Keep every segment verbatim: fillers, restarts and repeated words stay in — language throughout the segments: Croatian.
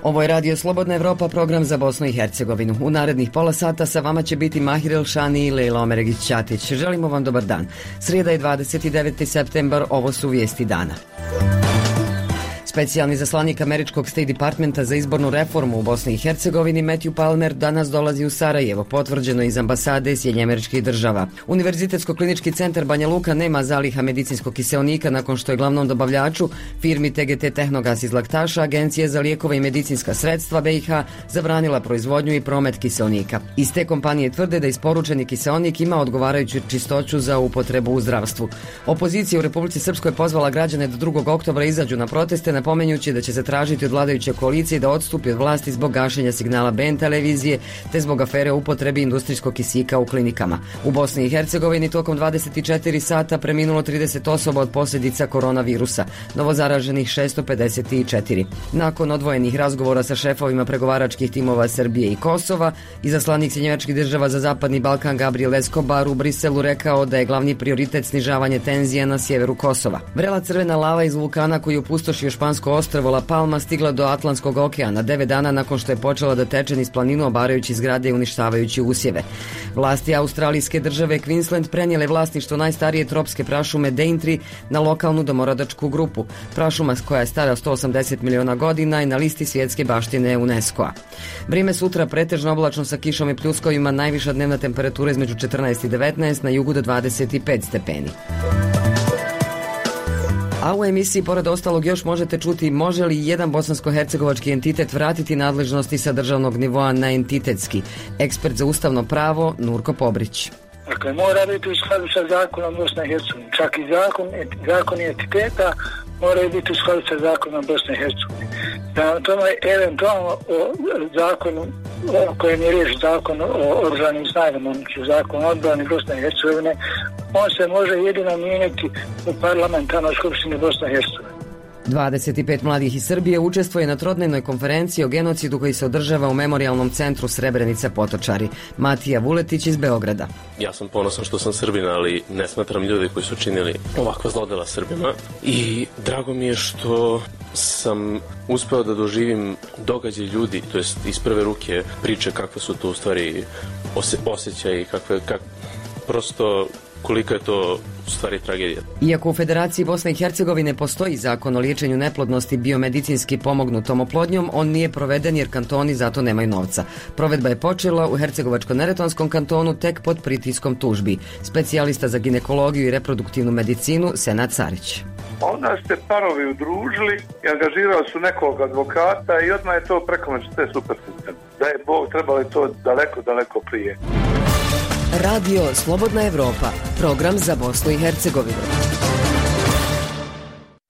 Ovo je Radio Slobodna Evropa, program za Bosnu i Hercegovinu. U narednih pola sata sa vama će biti Mahir Elšani i Lejla Omeregić-Ćatić. Želimo vam dobar dan. Srijeda je dvadeset deveti septembar, ovo su vijesti dana. Specijalni zaslanik američkog State Departmenta za izbornu reformu u Bosni i Hercegovini Matthew Palmer danas dolazi u Sarajevo, potvrđeno iz ambasade Sjedinjenih Američkih Država. Univerzitetsko-klinički centar Banja Luka nema zaliha medicinskog kiseonika nakon što je glavnom dobavljaču, firmi T G T Tehnogas iz Laktaša, Agencija za lijekove i medicinska sredstva B i H zabranila proizvodnju i promet kiseonika. Iz te kompanije tvrde da isporučeni kiseonik ima odgovarajuću čistoću za upotrebu u zdravstvu. Opozicija u Republici Srpskoj pozvala građane da drugog oktobra izađu na proteste, napomenjući da će se tražiti od vladajuće koalicije da odstupi od vlasti zbog gašenja signala B N televizije te zbog afere o upotrebi industrijskog kisika u klinikama. U Bosni i Hercegovini tokom dvadeset četiri sata preminulo trideset osoba od posljedica koronavirusa, novozaraženih šesto pedeset četiri. Nakon odvojenih razgovora sa šefovima pregovaračkih timova Srbije i Kosova, izaslanik Sjedinjenih Američkih Država za Zapadni Balkan Gabriel Escobar u Briselu rekao da je glavni prioritet snižavanje tenzija na sjeveru Kosova. Vrela crvena lava iz vulkana koji opustošio špansko ostrvo La Palma stigla do Atlantskog okeana devet dana nakon što je počela da teče niz planinu obarajući zgrade i uništavajući usjeve. Vlasti australijske države Queensland prenijele vlasništvo najstarije tropske prašume Daintree na lokalnu domorodačku grupu. Prašuma koja je stara sto osamdeset miliona godina i na listi svjetske baštine UNESCO-a. Vrijeme sutra pretežno oblačno sa kišom i pljuskovima, najviša dnevna temperatura između četrnaest i devetnaest, na jugu do dvadeset pet stepeni. A u emisiji pored ostalog još možete čuti može li jedan bosansko-hercegovački entitet vratiti nadležnosti sa državnog nivoa na entitetski. Ekspert za ustavno pravo Nurko Pobrić. Dakle, mora biti u skladu sa zakonom Bosne i Hercegovine. Čak i zakon, zakon entiteta moraju biti u skladu sa zakonom Bosne i Hercegovine. Da tome eventualno o zakonu o kojem je riječ zakon o oružanim snagama, zakon o odbrani Bosne i Hercegovine, on se može jedino mijenjati u parlamentarnoj skupštini Bosne i Hercegovine. dvadeset pet mladih iz Srbije učestvuje na trodnevnoj konferenciji o genocidu koji se održava u Memorijalnom centru Srebrenica Potočari. Matija Vuletić iz Beograda. Ja sam ponosan što sam Srbin, ali ne smatram ljudi koji su činili ovakva zlodela Srbima. I drago mi je što sam uspeo da doživim događaj ljudi, to jest iz prve ruke priče kakve su to u stvari osjećaji, kakve, kak, prosto koliko je to u stvari tragedija. Iako u Federaciji Bosne i Hercegovine postoji zakon o liječenju neplodnosti biomedicinski pomognutom oplodnjom, on nije proveden jer kantoni zato nemaju novca. Provedba je počela u Hercegovačko-neretvanskom kantonu tek pod pritiskom tužbi. Specijalista za ginekologiju i reproduktivnu medicinu Senad Carić. Onda ste parovi udružili i angažirali su nekog advokata i odmah je to preko noći sve super sistem. Da je Bog trebalo to daleko, daleko prije. Radio Slobodna Evropa, program za Bosnu i Hercegovinu.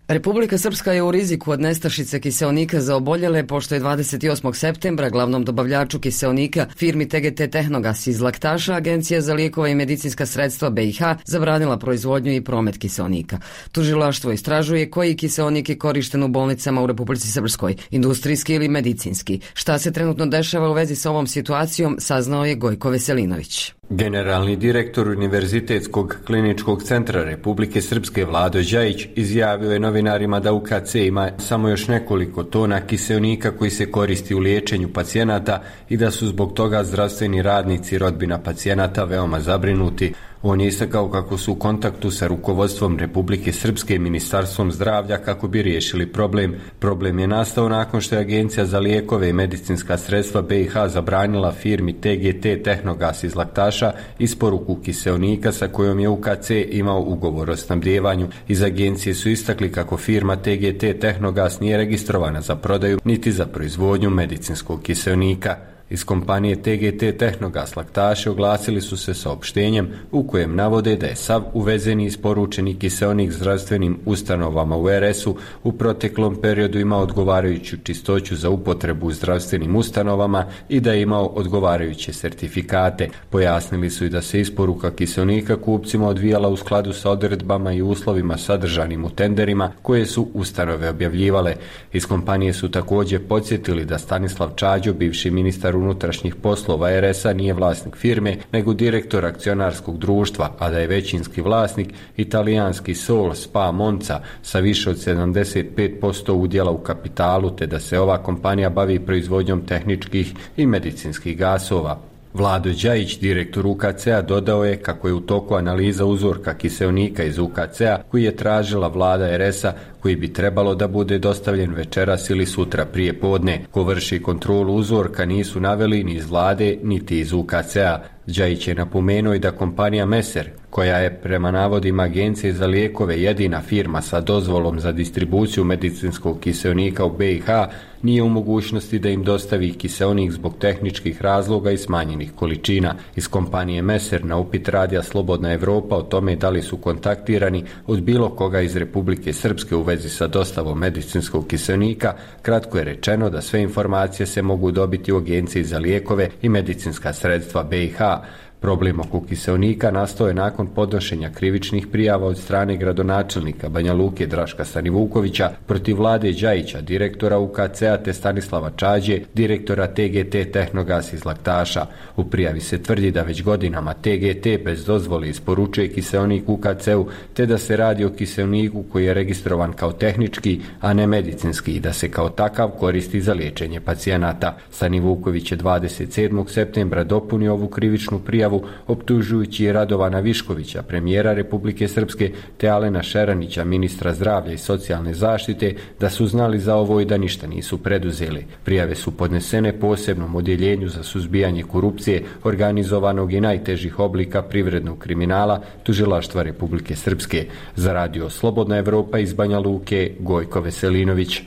Republika Srpska je u riziku od nestašice kiseonika za oboljele, pošto je dvadeset osmog septembra glavnom dobavljaču kiseonika firmi T G T Tehnogas iz Laktaša Agencija za lijekove i medicinska sredstva B i H zabranila proizvodnju i promet kiseonika. Tužilaštvo istražuje koji kiseonik je korišten u bolnicama u Republici Srpskoj, industrijski ili medicinski. Šta se trenutno dešava u vezi sa ovom situacijom, saznao je Gojko Veselinović. Generalni direktor Univerzitetskog kliničkog centra Republike Srpske Vlado Đajić izjavio je novinarima da U K C ima samo još nekoliko tona kiseonika koji se koristi u liječenju pacijenata i da su zbog toga zdravstveni radnici i rodbina pacijenata veoma zabrinuti. On je istakao kako su u kontaktu sa rukovodstvom Republike Srpske i Ministarstvom zdravlja kako bi riješili problem. Problem je nastao nakon što je Agencija za lijekove i medicinska sredstva B i H zabranila firmi T G T Tehnogas iz Laktaša isporuku kiseonika sa kojom je U K C imao ugovor o snabdijevanju. Iz agencije su istakli kako firma T G T Tehnogas nije registrovana za prodaju niti za proizvodnju medicinskog kiseonika. Iz kompanije T G T Tehnogas Laktaše oglasili su se saopštenjem u kojem navode da je sav uvezeni isporučeni kiseonik zdravstvenim ustanovama u R S-u u proteklom periodu imao odgovarajuću čistoću za upotrebu u zdravstvenim ustanovama i da je imao odgovarajuće sertifikate. Pojasnili su i da se isporuka kiseonika kupcima odvijala u skladu sa odredbama i uslovima sadržanim u tenderima koje su ustanove objavljivale. Iz kompanije su također podsjetili da Stanislav Čađo, bivši ministar unutrašnjih poslova er es a nije vlasnik firme, nego direktor akcionarskog društva, a da je većinski vlasnik italijanski Sol Spa Monza sa više od sedamdeset pet posto udjela u kapitalu, te da se ova kompanija bavi proizvodnjom tehničkih i medicinskih gasova. Vlado Đajić, direktor u ka ce a, dodao je kako je u toku analiza uzorka kiseonika iz u ka ce a koji je tražila vlada er es a, koji bi trebalo da bude dostavljen večeras ili sutra prije podne. Ko vrši kontrolu uzorka nisu naveli ni iz vlade niti iz u ka ce a. Đajić je napomenuo i da kompanija Meser, koja je prema navodima Agencije za lijekove jedina firma sa dozvolom za distribuciju medicinskog kiseonika u be i ha, nije u mogućnosti da im dostavi kiseonik zbog tehničkih razloga i smanjenih količina. Iz kompanije Meser na upit radija Slobodna Evropa o tome da li su kontaktirani od bilo koga iz Republike Srpske u vezi sa dostavom medicinskog kiseonika, kratko je rečeno da sve informacije se mogu dobiti u Agenciji za lijekove i medicinska sredstva be i ha. Problem oko kiseonika nastao je nakon podnošenja krivičnih prijava od strane gradonačelnika Banja Luke Draška Stanivukovića protiv Vlade Đajića, direktora u ka ce a, te Stanislava Čađe, direktora te ge te Tehnogas iz Laktaša. U prijavi se tvrdi da već godinama te ge te bez dozvole isporučuje kiseonik u ka ce u, te da se radi o kiseoniku koji je registrovan kao tehnički, a ne medicinski, i da se kao takav koristi za liječenje pacijenata. Stanivuković je dvadeset sedmog septembra dopunio ovu krivičnu prijavu optužujući Radovana Viškovića, premijera Republike Srpske, te Alena Šeranića, ministra zdravlja i socijalne zaštite, da su znali za ovo i da ništa nisu preduzeli. Prijave su podnesene posebnom odjeljenju za suzbijanje korupcije, organizovanog i najtežih oblika privrednog kriminala Tužilaštva Republike Srpske. Za radio Slobodna Evropa iz Banja Luke, Gojko Veselinović.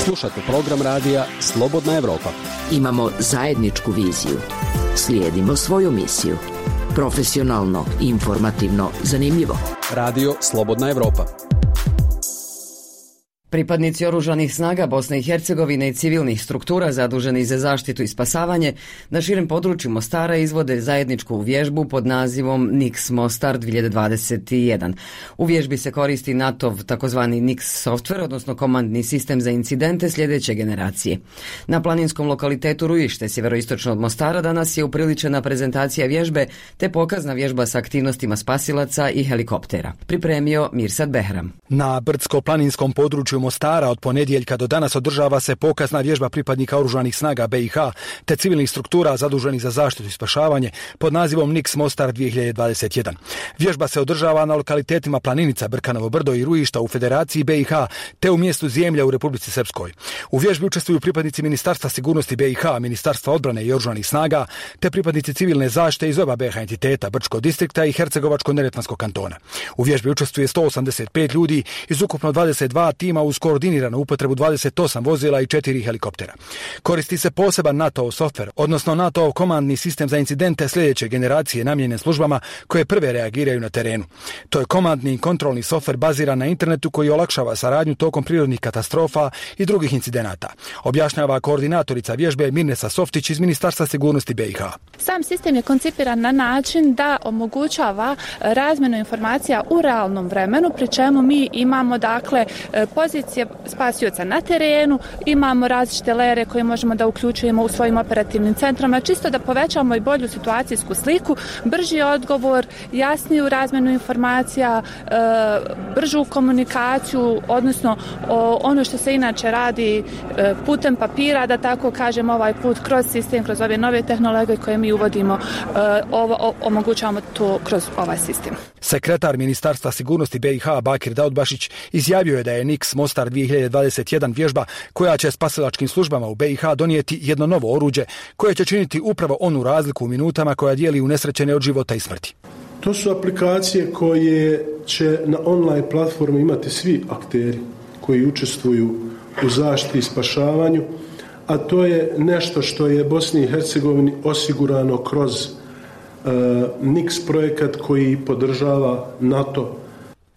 Slušate program radija Slobodna Evropa. Imamo zajedničku viziju. Slijedimo svoju misiju. Profesionalno, informativno, zanimljivo. Radio Slobodna Evropa. Pripadnici oružanih snaga Bosne i Hercegovine i civilnih struktura zaduženi za zaštitu i spasavanje na širem području Mostara izvode zajedničku vježbu pod nazivom N I K S Mostar dvije hiljade dvadeset jedan. U vježbi se koristi natov takozvani N I K S software, odnosno komandni sistem za incidente sljedeće generacije. Na planinskom lokalitetu Rujište, sjeveroistočno od Mostara, danas je upriličena prezentacija vježbe te pokazna vježba sa aktivnostima spasilaca i helikoptera. Pripremio Mirsad Behram. Na brdsko-planinskom području Mostara od ponedjeljka do danas održava se pokazna vježba pripadnika oružanih snaga be i ha te civilnih struktura zaduženih za zaštitu i spašavanje pod nazivom N I K S Mostar dvije hiljade dvadeset jedan. Vježba se održava na lokalitetima Planinica, Brkanovo brdo i Rujišta u Federaciji be i ha te u mjestu Zemlja u Republici Srpskoj. U vježbi učestvuju pripadnici Ministarstva sigurnosti be i ha, Ministarstva odbrane i oružanih snaga te pripadnici civilne zaštite iz oba be ha entiteta, Brčkog distrikta i Hercegovačko-neretvanskog kantona. U vježbi učestvuje sto osamdeset pet ljudi iz ukupno dvadeset dva tima uz koordiniranu upotrebu dvadeset osam vozila i četiri helikoptera. Koristi se poseban NATO softver, odnosno NATO komandni sistem za incidente sljedeće generacije namijenjen službama koje prve reagiraju na terenu. To je komandni i kontrolni softver baziran na internetu koji olakšava saradnju tokom prirodnih katastrofa i drugih incidenata. Objašnjava koordinatorica vježbe Mirnesa Softić iz Ministarstva sigurnosti be i ha. Sam sistem je koncipiran na način da omogućava razmjenu informacija u realnom vremenu, pri čemu mi imamo dakle pozicije spasioca na terenu, imamo različite lere koje možemo da uključujemo u svojim operativnim centrama, čisto da povećamo i bolju situacijsku sliku, brži odgovor, jasniju razmjenu informacija, bržu komunikaciju, odnosno ono što se inače radi putem papira, da tako kažem, ovaj put kroz sistem, kroz ove nove tehnologije koje mi uvodimo, ovo, omogućavamo to kroz ovaj sistem. Sekretar Ministarstva sigurnosti be i ha Bakir Daudbašić izjavio je da je N I K S Mostar dvije hiljade dvadeset jedan vježba koja će spasilačkim službama u be i ha donijeti jedno novo oruđe koje će činiti upravo onu razliku u minutama koja dijeli unesrećene od života i smrti. To su aplikacije koje će na online platformi imati svi akteri koji učestvuju u zaštiti i spašavanju, a to je nešto što je Bosni i Hercegovini osigurano kroz uh, N I K S projekat koji podržava NATO.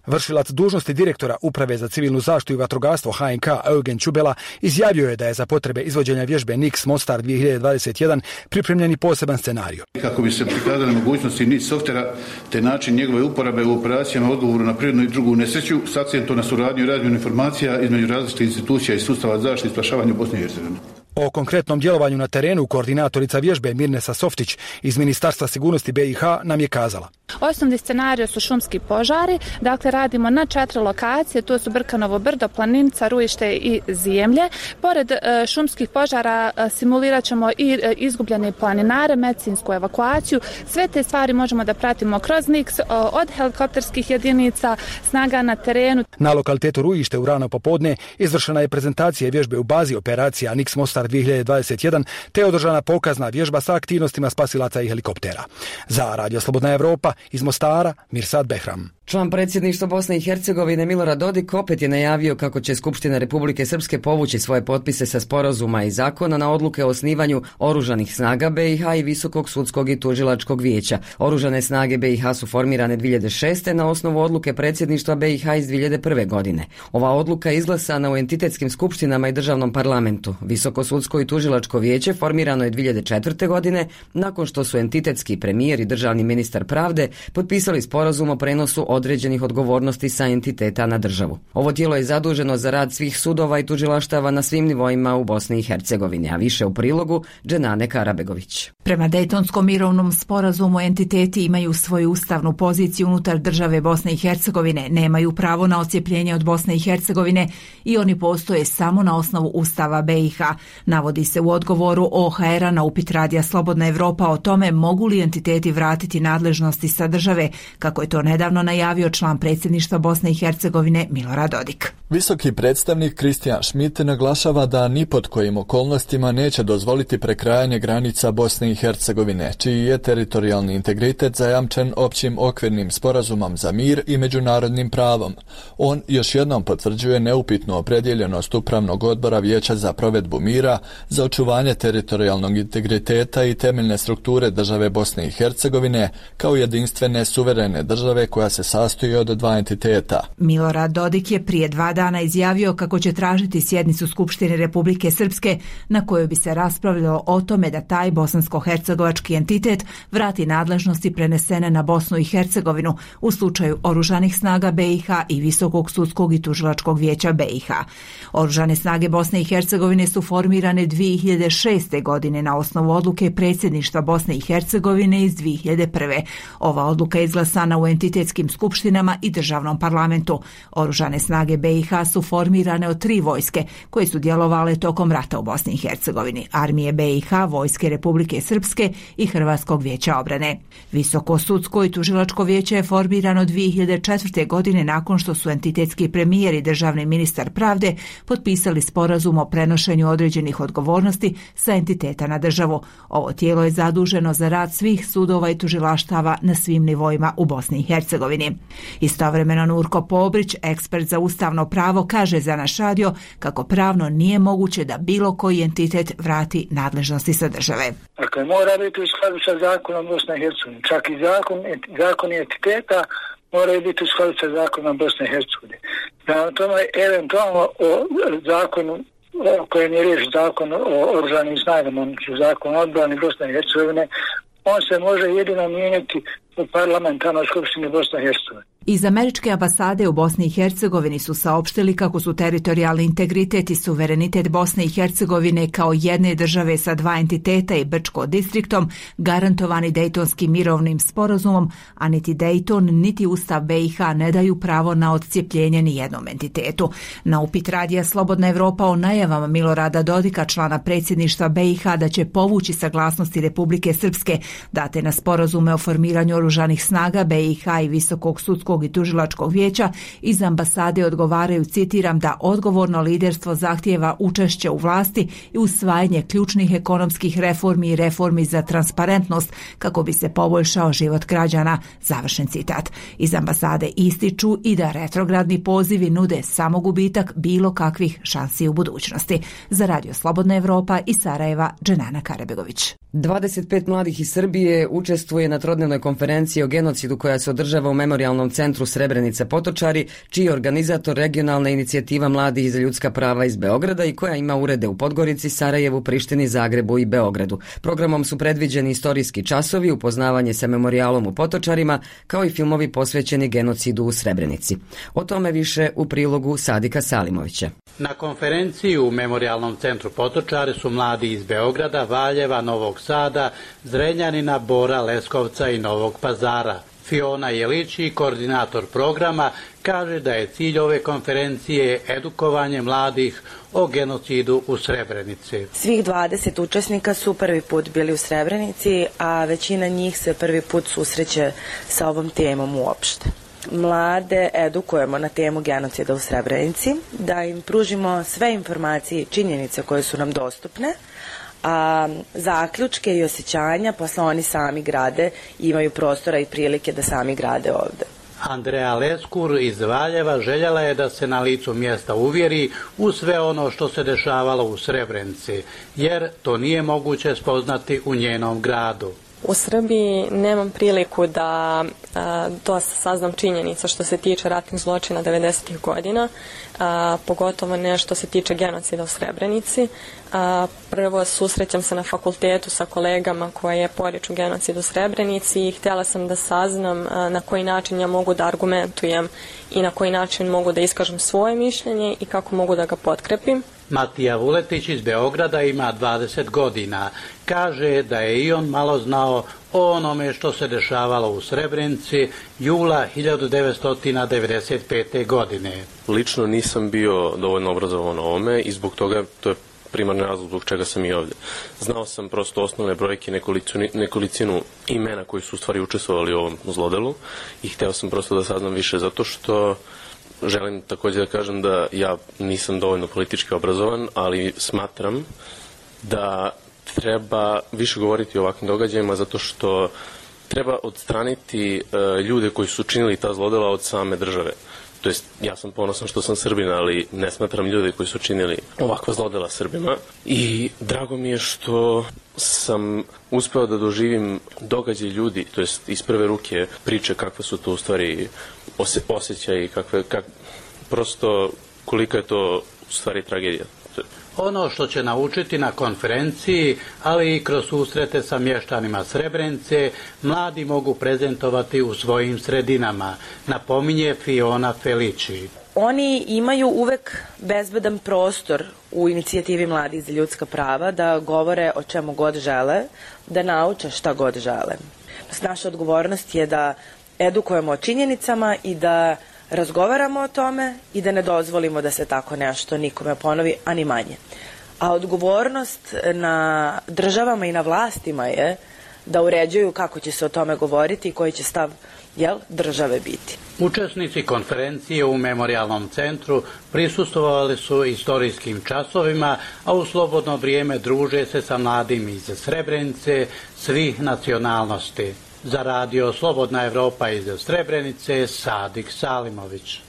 Vršilac dužnosti direktora Uprave za civilnu zaštitu i vatrogastvo ha en ka Eugen Čubela izjavio je da je za potrebe izvođenja vježbe N I K S Mostar dvije hiljade dvadeset jedan pripremljeni poseban scenarij. Kako bi se prikazali mogućnosti N I C softvera te način njegove uporabe u operacijama odgovoru na prirodnu i drugu nesreću s akcentom na suradnju i razmjenu informacija između različitih institucija i sustava zaštite i spašavanja u Bosni i Hercegovini. O konkretnom djelovanju na terenu koordinatorica vježbe Mirnesa Softić iz Ministarstva sigurnosti B i H nam je kazala. Osnovni scenarij su šumski požari, dakle radimo na četiri lokacije, to su Brkanovo brdo, Planica, Rujište i Zemlje. Pored e, šumskih požara e, simulirat ćemo i e, izgubljene planinare, medicinsku evakuaciju. Sve te stvari možemo da pratimo kroz N I K S, o, od helikopterskih jedinica, snaga na terenu. Na lokalitetu Rujište u rano popodne izvršena je prezentacija vježbe u bazi operacija N I K S Mostar dvije hiljade dvadeset jedan te održana pokazna vježba sa aktivnostima spasilaca i helikoptera. Za Radio Slobodna Evropa iz Mostara, Mirsad Behram. Član predsjedništva Bosne i Hercegovine Milorad Dodik opet je najavio kako će Skupština Republike Srpske povući svoje potpise sa sporazuma i zakona na odluke o osnivanju Oružanih snaga B i H i Visokog sudskog i tužilačkog vijeća. Oružane snage B i H su formirane dvije hiljade šeste. na osnovu odluke predsjedništva B i H iz dvije hiljade prve. godine. Ova odluka je izglasana u entitetskim skupštinama i državnom parlamentu. Visoko sudsko i tužilačko vijeće formirano je dvije hiljade četvrte. godine nakon što su entitetski premijer i državni ministar pravde potpisali sporazum o prenosu određenih odgovornosti sa entiteta na državu. Ovo tijelo je zaduženo za rad svih sudova i tužilaštava na svim nivoima u Bosni i Hercegovini, a više u prilogu Dženane Karabegović. Prema Dejtonskom mirovnom sporazumu entiteti imaju svoju ustavnu poziciju unutar države Bosne i Hercegovine, nemaju pravo na odcijepljenje od Bosne i Hercegovine i oni postoje samo na osnovu Ustava B i H. Navodi se u odgovoru O H R-a na upit Radija Slobodna Evropa o tome mogu li entiteti vratiti nadležnosti sa države, kako je to nedavno najavio član predsjedništva Bosne i Hercegovine Milorad Dodik. Visoki predstavnik Kristijan Schmidt naglašava da ni pod kojim okolnostima neće dozvoliti prekrajanje granica Bosne i Hercegovine, čiji je teritorijalni integritet zajamčen općim okvirnim sporazumom za mir i međunarodnim pravom. On još jednom potvrđuje neupitnu opredjeljenost Upravnog odbora Vijeća za provedbu mira, za očuvanje teritorijalnog integriteta i temeljne strukture države Bosne i Hercegovine kao jedinstvene suverene države koja se sastoji od dva entiteta. Milorad Dodik je prije dva dana izjavio kako će tražiti sjednicu Skupštine Republike Srpske na kojoj bi se raspravljalo o tome da taj bosansko-hercegovački entitet vrati nadležnosti prenesene na Bosnu i Hercegovinu u slučaju Oružanih snaga B i H i Visokog sudskog i tužilačkog vijeća B i H. Oružane snage Bosne i Hercegovine su formirane dvije hiljade šeste. godine na osnovu odluke predsjedništva Bosne i Hercegovine iz dvije hiljade prve. Ova odluka je izglasana u entitetskim skupštinama i državnom parlamentu. Oružane snage B i H su formirane od tri vojske koje su djelovale tokom rata u Bosni i Hercegovini: Armije B i H, Vojske Republike Srpske i Hrvatskog vijeća obrane. Visoko sudsko i tužilačko vijeće je formirano dvije hiljade četvrte. godine nakon što su entitetski premijer i državni ministar pravde potpisali sporazum o prenošenju određenih odgovornosti sa entiteta na državu. Ovo tijelo je zaduženo za rad svih sudova i tužilaštava na svim nivoima u Bosni i Hercegovini. Istovremeno Nurko Pobrić, ekspert za ustavno pravo, kaže za naš radio kako pravno nije moguće da bilo koji entitet vrati nadležnosti sa države. Dakle, mora biti u skladu sa zakonom Bosne i Hercegovine. Čak i zakon, zakon entiteta moraju biti u skladu sa zakonom Bosne i Hercegovine. Na tome eventualno o zakonu o kojem je riječ zakon o oružanim snagama, zakon o odbrani Bosne i Hercegovine, on se može jedino mijenjati u parlamentarnoj skupštini Bosne i Hercegovine. Iz američke ambasade u Bosni i Hercegovini su saopštili kako su teritorijalni integritet i suverenitet Bosne i Hercegovine kao jedne države sa dva entiteta i Brčko distriktom garantovani Dejtonskim mirovnim sporazumom, a niti Dejton niti Ustav B i H ne daju pravo na odcijepljenje ni jednom entitetu. Na upit Radija Slobodna Evropa o najavama Milorada Dodika, člana predsjedništva B i H, da će povući saglasnosti Republike Srpske date na sporazume o formiranju oružanih snaga B i H i Visokog sudskog i tužilačkog vijeća, iz ambasade odgovaraju, citiram, da odgovorno liderstvo zahtijeva učešće u vlasti i usvajanje ključnih ekonomskih reformi i reformi za transparentnost kako bi se poboljšao život građana, završen citat. Iz ambasade ističu i da retrogradni pozivi nude samo gubitak bilo kakvih šansi u budućnosti. Za Radio Slobodna Evropa iz Sarajeva, Dženana Karabegović. dvadeset pet mladih iz Srbije učestvuje na trodnevnoj konferenciji konferencije o genocidu koja se održava u Memorijalnom centru Srebrenica Potočari, čiji je organizator regionalna inicijativa Mladih za ljudska prava iz Beograda i koja ima urede u Podgorici, Sarajevu, Prištini, Zagrebu i Beogradu. Programom su predviđeni istorijski časovi, upoznavanje sa memorijalom u Potočarima, kao i filmovi posvećeni genocidu u Srebrenici. O tome više u prilogu Sadika Salimovića. Na konferenciji u Memorijalnom centru Potočari su mladi iz Beograda, Valjeva, Novog Sada, Zrenjanina, Bora, Leskovca i Novog Pazara. Fiona Jelići, koordinator programa, kaže da je cilj ove konferencije edukovanje mladih o genocidu u Srebrenici. Svih dvadeset učesnika su prvi put bili u Srebrenici, a većina njih se prvi put susreće sa ovom temom uopšte. Mlade edukujemo na temu genocida u Srebrenici, da im pružimo sve informacije i činjenice koje su nam dostupne, a zaključke i osjećanja posle oni sami grade i imaju prostora i prilike da sami grade ovde. Andreja Leskur iz Valjeva željela je da se na licu mjesta uvjeri u sve ono što se dešavalo u Srebrenici, jer to nije moguće spoznati u njenom gradu. U Srbiji nemam priliku da a, dosta saznam činjenica što se tiče ratnih zločina devedesetih godina, a, pogotovo ne što se tiče genocida u Srebrenici. A, prvo susrećam se na fakultetu sa kolegama koje poriču genocid u Srebrenici i htjela sam da saznam a, na koji način ja mogu da argumentujem i na koji način mogu da iskažem svoje mišljenje i kako mogu da ga potkrepim. Matija Vuletić iz Beograda ima dvadeset godina. Kaže da je i on malo znao o onome što se dešavalo u Srebrenici jula hiljadu devetsto devedeset pete. godine. Lično nisam bio dovoljno obrazovan o ovome i zbog toga to je primarni razlog zbog čega sam i ovdje. Znao sam prosto osnovne brojke, nekolicinu, nekolicinu imena koji su u stvari učestvovali u ovom zlodelu i hteo sam prosto da saznam više zato što želim također da kažem da ja nisam dovoljno politički obrazovan, ali smatram da treba više govoriti o ovakvim događajima zato što treba odstraniti uh, ljude koji su činili ta zlodela od same države. To jest, ja sam ponosan što sam Srbin, ali ne smatram ljude koji su činili ovakva zlodela Srbima. I drago mi je što sam uspeo da doživim događaj ljudi, to jest iz prve ruke priče kakve su to u stvari ose, osjećaji, kakve, kak, prosto kolika je to u stvari tragedija. Ono što će naučiti na konferenciji, ali i kroz susrete sa mještanima Srebrenice, mladi mogu prezentovati u svojim sredinama, napominje Fiona Felici. Oni imaju uvek bezbedan prostor u inicijativi Mladih za ljudska prava da govore o čemu god žele, da nauče šta god žele. Naša odgovornost je da edukujemo o činjenicama i da razgovaramo o tome i da ne dozvolimo da se tako nešto nikome ponovi, a ni manje. A odgovornost na državama i na vlastima je da uređuju kako će se o tome govoriti i koji će stav, jel, države biti. Učesnici konferencije u Memorijalnom centru prisustvovali su istorijskim časovima, a u slobodno vrijeme druže se sa mladim iz Srebrenice svih nacionalnosti. Za radio Slobodna Evropa iz Srebrenice, Sadik Salimović.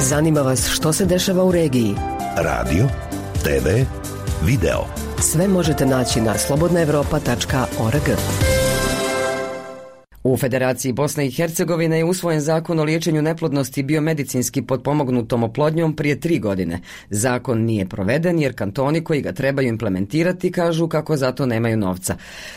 Zanima vas što se dešava u regiji? Radio, te ve, video. Sve možete naći na slobodna evropa tačka org. U Federaciji Bosne i Hercegovine je usvojen zakon o liječenju neplodnosti biomedicinski potpomognutom oplodnjom prije tri godine. Zakon nije proveden jer kantoni koji ga trebaju implementirati kažu kako zato nemaju novca.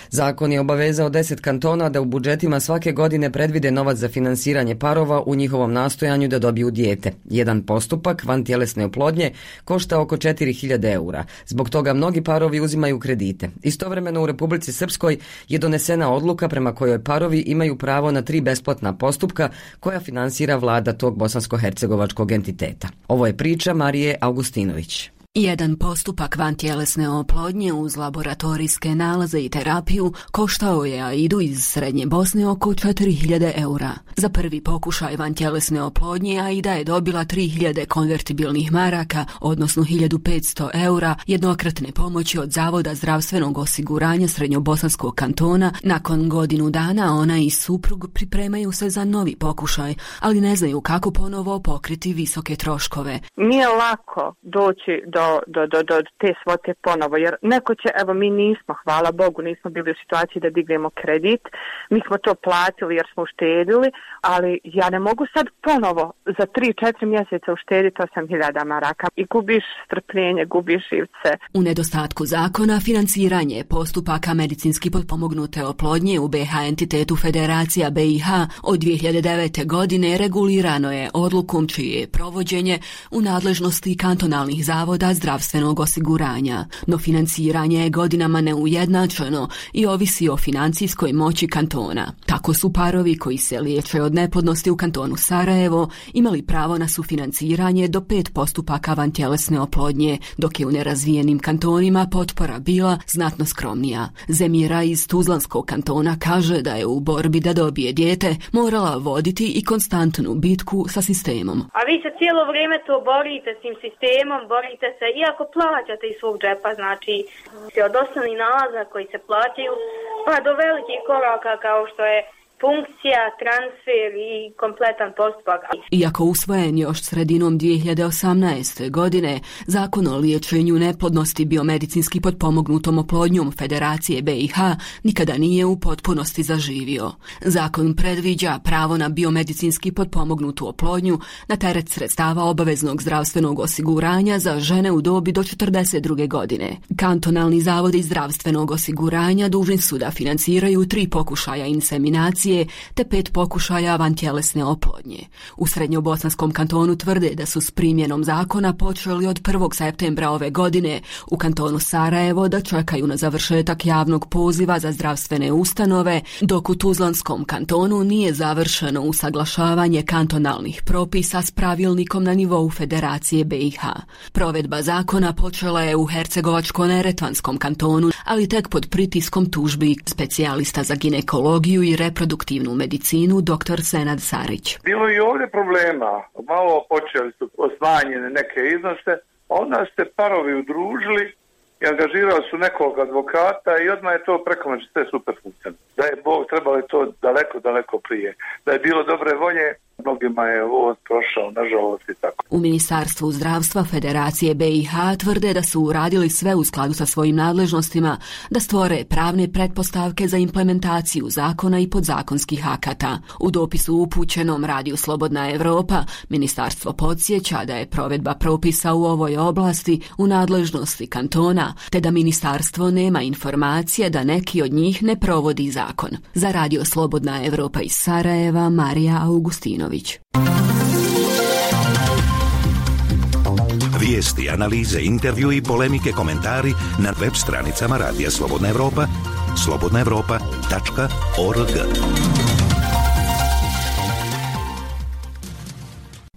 Zakon je obavezao deset kantona da u budžetima svake godine predvide novac za finansiranje parova u njihovom nastojanju da dobiju dijete. Jedan postupak vantjelesne oplodnje košta oko četiri hiljade eura. Zbog toga mnogi parovi uzimaju kredite. Istovremeno u Republici Srpskoj je donesena odluka prema kojoj parovi imaju pravo na tri besplatna postupka koja finansira vlada tog bosansko-hercegovačkog entiteta. Ovo je priča Marije Augustinović. Jedan postupak vantjelesne oplodnje uz laboratorijske nalaze i terapiju koštao je Aidu iz Srednje Bosne oko četiri hiljade eura. Za prvi pokušaj vantjelesne oplodnje Aida je dobila tri hiljade konvertibilnih maraka, odnosno hiljadu petsto eura jednokratne pomoći od Zavoda zdravstvenog osiguranja Srednjobosanskog kantona. Nakon godinu dana ona i suprug pripremaju se za novi pokušaj, ali ne znaju kako ponovo pokriti visoke troškove. Nije lako doći do do, do, do, do te svote ponovo, jer neko će, evo mi nismo, hvala Bogu, nismo bili u situaciji da dignemo kredit, mi smo to platili jer smo uštedili, ali ja ne mogu sad ponovo za tri četiri mjeseca uštediti osam hiljada maraka i gubiš strpljenje, gubiš živce. U nedostatku zakona, financiranje postupaka medicinski potpomognute oplodnje u B H entitetu Federacija B i H od dvije hiljade devete. godine regulirano je odlukom čije je provođenje u nadležnosti kantonalnih zavoda zdravstvenog osiguranja. No financiranje je godinama neujednačeno i ovisi o financijskoj moći kantona. Tako su parovi koji se liječe od neplodnosti u kantonu Sarajevo imali pravo na sufinanciranje do pet postupaka vantjelesne oplodnje, dok je u nerazvijenim kantonima potpora bila znatno skromnija. Zemira iz Tuzlanskog kantona kaže da je u borbi da dobije dijete morala voditi i konstantnu bitku sa sistemom. A vi se cijelo vrijeme to borite s tim sistemom, borite se, iako plaćate iz svog džepa, znači od osnovnih nalaza koji se plaćaju, pa do velikih koraka kao što je funkcija, transfer i kompletan postupak. Iako usvojen još sredinom dvije hiljade osamnaeste. godine, Zakon o liječenju neplodnosti biomedicinski potpomognutom oplodnjom Federacije B i H nikada nije u potpunosti zaživio. Zakon predviđa pravo na biomedicinski potpomognutu oplodnju na teret sredstava obaveznog zdravstvenog osiguranja za žene u dobi do četrdeset druge. godine. Kantonalni zavodi zdravstvenog osiguranja dužni su da financiraju tri pokušaja inseminacije te pet pokušaja vantjelesne oplodnje. U Srednjobosanskom kantonu tvrde da su s primjenom zakona počeli od prvog septembra ove godine, u kantonu Sarajevo da čekaju na završetak javnog poziva za zdravstvene ustanove, dok u Tuzlanskom kantonu nije završeno usaglašavanje kantonalnih propisa s pravilnikom na nivou Federacije B i H. Provedba zakona počela je u Hercegovačko-neretvanskom kantonu, ali tek pod pritiskom tužbi specijalista za ginekologiju i reproduktivnu medicinu dr. Senad Sarić. Bilo i ovdje problema. Malo počeli su osmanjene neke iznose, onda ste parovi udružili i angažirali su nekog advokata i odmah je to preko noći sve super funkcionalno. Da je Bog trebali to daleko, daleko prije. Da je bilo dobre volje, mnogima je ovo prošao, nažalost i tako. U Ministarstvu zdravstva Federacije B i H tvrde da su uradili sve u skladu sa svojim nadležnostima, da stvore pravne pretpostavke za implementaciju zakona i podzakonskih akata. U dopisu upućenom Radiju Slobodna Evropa, ministarstvo podsjeća da je provedba propisa u ovoj oblasti u nadležnosti kantona, te da ministarstvo nema informacije da neki od njih ne provodi zakon. Za Radio Slobodna Evropa iz Sarajeva, Marija Augustinović. Vijesti, analize, intervju i polemike, komentari na web stranicama Radija Slobodna Evropa, slobodna evropa tačka org.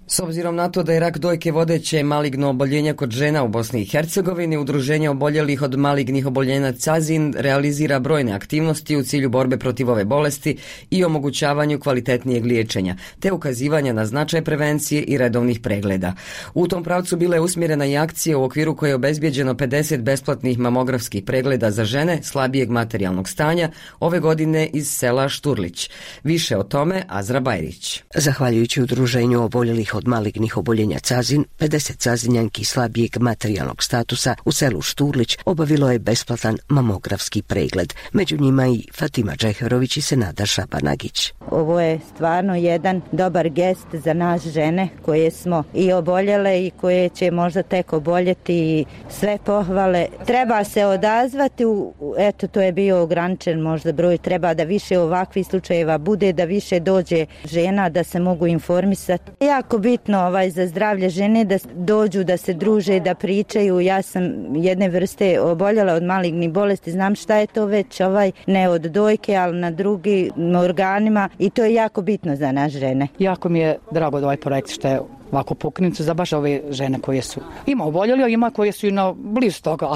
S obzirom na to da je rak dojke vodeće maligno oboljenje kod žena u Bosni i Hercegovini, Udruženje oboljelih od malignih oboljenja Cazin realizira brojne aktivnosti u cilju borbe protiv ove bolesti i omogućavanju kvalitetnijeg liječenja, te ukazivanja na značaj prevencije i redovnih pregleda. U tom pravcu bila je usmjerena i akcija u okviru koje je obezbijeđeno pedeset besplatnih mamografskih pregleda za žene slabijeg materijalnog stanja ove godine iz sela Šturlić. Više o tome Azra Bajrić. Zahvaljujući Udruženju oboljelih od malignih oboljenja Cazin, pedeset Cazinjanki slabijeg materijalnog statusa u selu Šturlić obavilo je besplatan mamografski pregled. Među njima i Fatima Džeherović i Senada Šabanagić. Ovo je stvarno jedan dobar gest za nas žene koje smo i oboljele i koje će možda tek oboljeti i sve pohvale. Treba se odazvati, u, eto to je bio ograničen možda broj, treba da više ovakvih slučajeva bude, da više dođe žena da se mogu informisati. Jako bitno ovaj za zdravlje žene da dođu, da se druže, da pričaju. Ja sam jedne vrste oboljela od malignih bolesti, znam šta je to već, ovaj ne od dojke, ali na drugim organima i to je jako bitno za nas žene. Jako mi je drago da ovaj projekt što je ovako pokrenut za baš ove žene koje su ima oboljeli, a ima koje su i na blizu toga,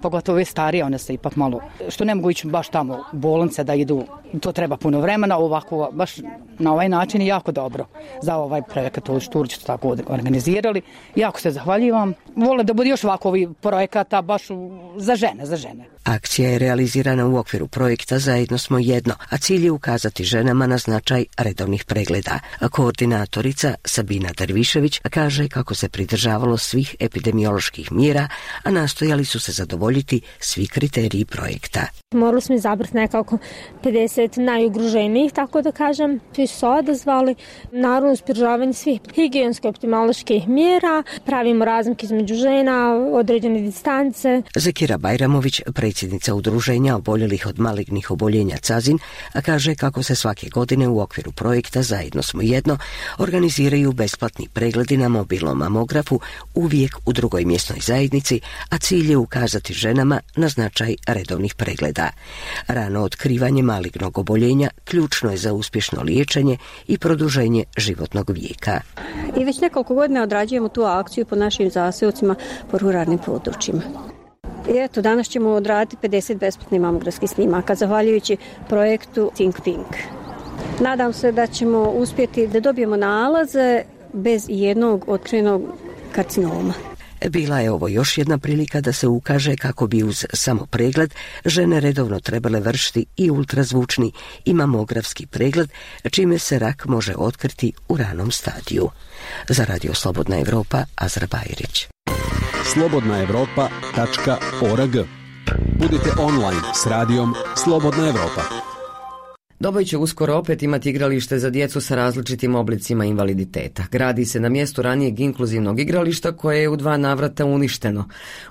pogotovo ove starije, one se ipak malo, što ne mogu ići baš tamo u bolnice da idu, to treba puno vremena, ovako baš na ovaj način je jako dobro za ovaj projekat u Šturliću tako organizirali. Jako se zahvaljivam. Vole da bude još ovako ovih projekata baš za žene, za žene. Akcija je realizirana u okviru projekta Zajedno smo jedno, a cilj je ukazati ženama na značaj redovnih pregleda. A koordinatorica Sabina Derviš Mišević kaže kako se pridržavalo svih epidemioloških mjera, a nastojali su se zadovoljiti svi kriteriji projekta. Morali smo izabrati nekako pedeset najugroženijih, tako da kažem. Svi su se odazvali, naravno uz pridržavanje svih higijensko-epidemioloških mjera, pravimo razmike između žena, određene distance. Zekira Bajramović, predsjednica udruženja oboljelih od malignih oboljenja Cazin, kaže kako se svake godine u okviru projekta Zajedno smo jedno organiziraju besplatni pregledi na mobilnom mamografu uvijek u drugoj mjesnoj zajednici, a cilj je ukazati ženama na značaj redovnih pregleda. Rano otkrivanje malignog oboljenja ključno je za uspješno liječenje i produženje životnog vijeka. I već nekoliko godina odrađujemo tu akciju po našim zaseocima po ruralnim područjima. I eto, danas ćemo odraditi pedeset besplatnih mamografskih snimaka, zahvaljujući projektu Think Pink. Nadam se da ćemo uspjeti da dobijemo nalaze bez jednog otkrivenog karcinoma. Bila je ovo još jedna prilika da se ukaže kako bi uz samo pregled žene redovno trebale vršiti i ultrazvučni i mamografski pregled, čime se rak može otkriti u ranom stadiju. Za Radio Slobodna Evropa, Azra Bajrić. slobodna evropa tačka org. Budite online s radijom Slobodna Evropa. Doboj će uskoro opet imati igralište za djecu sa različitim oblicima invaliditeta. Gradi se na mjestu ranijeg inkluzivnog igrališta koje je u dva navrata uništeno.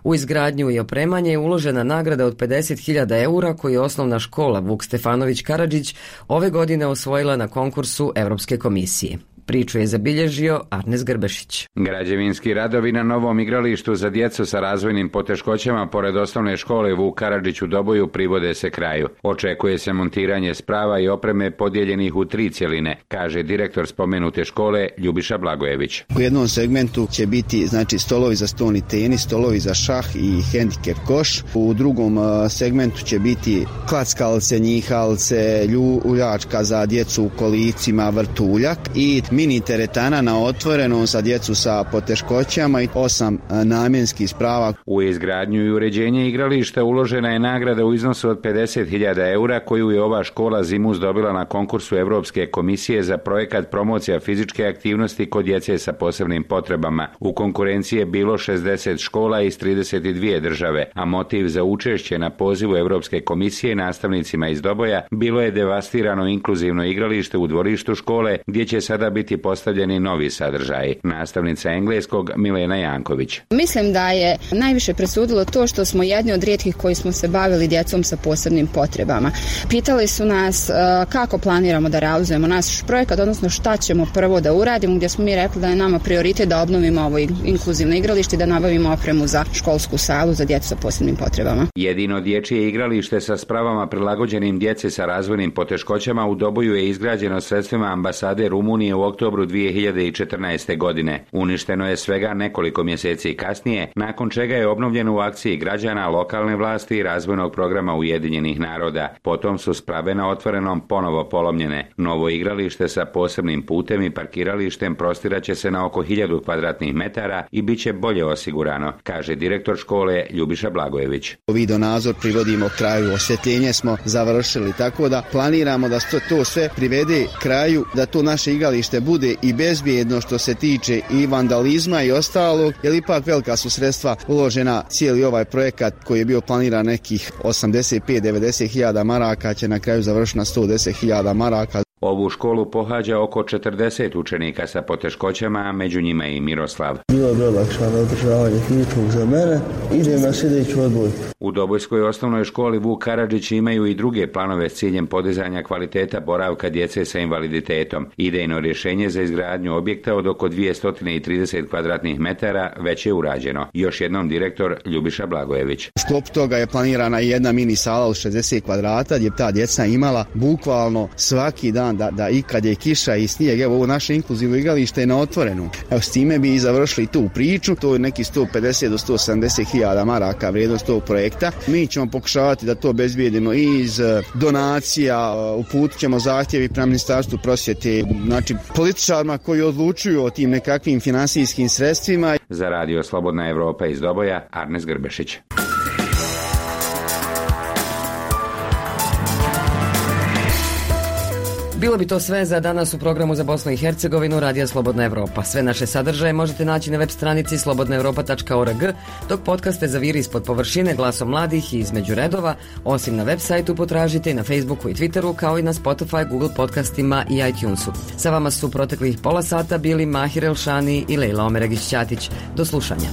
U izgradnju i opremanje je uložena nagrada od pedeset hiljada eura koju je osnovna škola Vuk Stefanović Karadžić ove godine osvojila na konkursu Europske komisije. Priču je zabilježio Arnes Grbešić. Građevinski radovi na novom igralištu za djecu sa razvojnim poteškoćama pored osnovne škole Vuk Karadžić u Doboju privode se kraju. Očekuje se montiranje sprava i opreme podijeljenih u tri cjeline, kaže direktor spomenute škole Ljubiša Blagojević. U jednom segmentu će biti znači stolovi za stolni tenis, stolovi za šah i hendikep koš. U drugom segmentu će biti klackalce, njihalce, ljuljačka za djecu u kolicima, vrtuljak i mini teretana na otvorenom za djecu sa poteškoćama i osam namjenskih sprava. U izgradnju i uređenje igrališta uložena je nagrada u iznosu od pedeset hiljada eura koju je ova škola Zimus dobila na konkursu Europske komisije za projekat promocija fizičke aktivnosti kod djece sa posebnim potrebama. U konkurenciji je bilo šezdeset škola iz trideset dvije države, a motiv za učešće na pozivu Europske komisije nastavnicima iz Doboja bilo je devastirano inkluzivno igralište u dvorištu škole gdje će sada biti postavljeni novi sadržaji. Nastavnica engleskog Milena Janković. Mislim da je najviše presudilo to što smo jedni od rijetkih koji smo se bavili djecom sa posebnim potrebama. Pitali su nas uh, kako planiramo da realizujemo naš projekat, odnosno šta ćemo prvo da uradimo, gdje smo mi rekli da je nama prioritet da obnovimo ovo inkluzivno igralište i da nabavimo opremu za školsku salu za djecu sa posebnim potrebama. Jedino dječje igralište sa spravama prilagođenim djeci sa razvojnim poteškoćama u Doboju je izgrađeno sredstvima ambasade Rumunije u oktobru dvije hiljade četrnaeste. godine. Uništeno je svega nekoliko mjeseci kasnije, nakon čega je obnovljeno u akciji građana, lokalne vlasti i razvojnog programa Ujedinjenih naroda. Potom su sprave na otvorenom ponovo polomljene. Novo igralište sa posebnim putem i parkiralištem prostiraće se na oko hiljadu kvadratnih metara i bit će bolje osigurano, kaže direktor škole Ljubiša Blagojević. Video nadzor privodimo kraju, osvjetljenje smo završili, tako da planiramo da to sve privede kraju, da to naše igralište bude i bezbjedno što se tiče i vandalizma i ostalog, jer ipak velika su sredstva uložena. Cijeli ovaj projekat koji je bio planiran nekih osamdeset pet do devedeset hiljada maraka će na kraju završiti na sto deset hiljada maraka. Ovu školu pohađa oko četrdeset učenika sa poteškoćama, a među njima i Miroslav. Bilo je olakšano održavanje fizičkog za mene, idem na sljedeću odbojku. U Dobojskoj osnovnoj školi Vuk Karadžić imaju i druge planove s ciljem podizanja kvaliteta boravka djece sa invaliditetom. Idejno rješenje za izgradnju objekta od oko dvjesto trideset kvadratnih metara već je urađeno. Još jednom direktor Ljubiša Blagojević. U sklopu toga je planirana jedna mini sala od šezdeset kvadrata gdje ta djeca imala bukvalno svaki dan Da, da i kad je kiša i snijeg, evo ovo naše inkluzivno igralište je na otvorenu. Evo s time bi i završili tu priču, to je neki sto pedeset do sto sedamdeset hiljada maraka vrijednost tog projekta. Mi ćemo pokušavati da to obezbijedimo i iz donacija, uputit ćemo zahtjevi prema Ministarstvu prosvjete, znači političarima koji odlučuju o tim nekakvim finansijskim sredstvima. Za Radio Slobodna Evropa iz Doboja, Arnes Grbešić. Bilo bi to sve za danas u programu za Bosnu i Hercegovinu Radija Slobodna Evropa. Sve naše sadržaje možete naći na web stranici slobodna evropa tačka org, dok podcaste Zaviri ispod površine, Glasom mladih i Između redova, osim na web sajtu potražite i na Facebooku i Twitteru, kao i na Spotify, Google podcastima i iTunesu. Sa vama su proteklih pola sata bili Mahir Elšani i Lejla Omeregić-Ćatić. Do slušanja.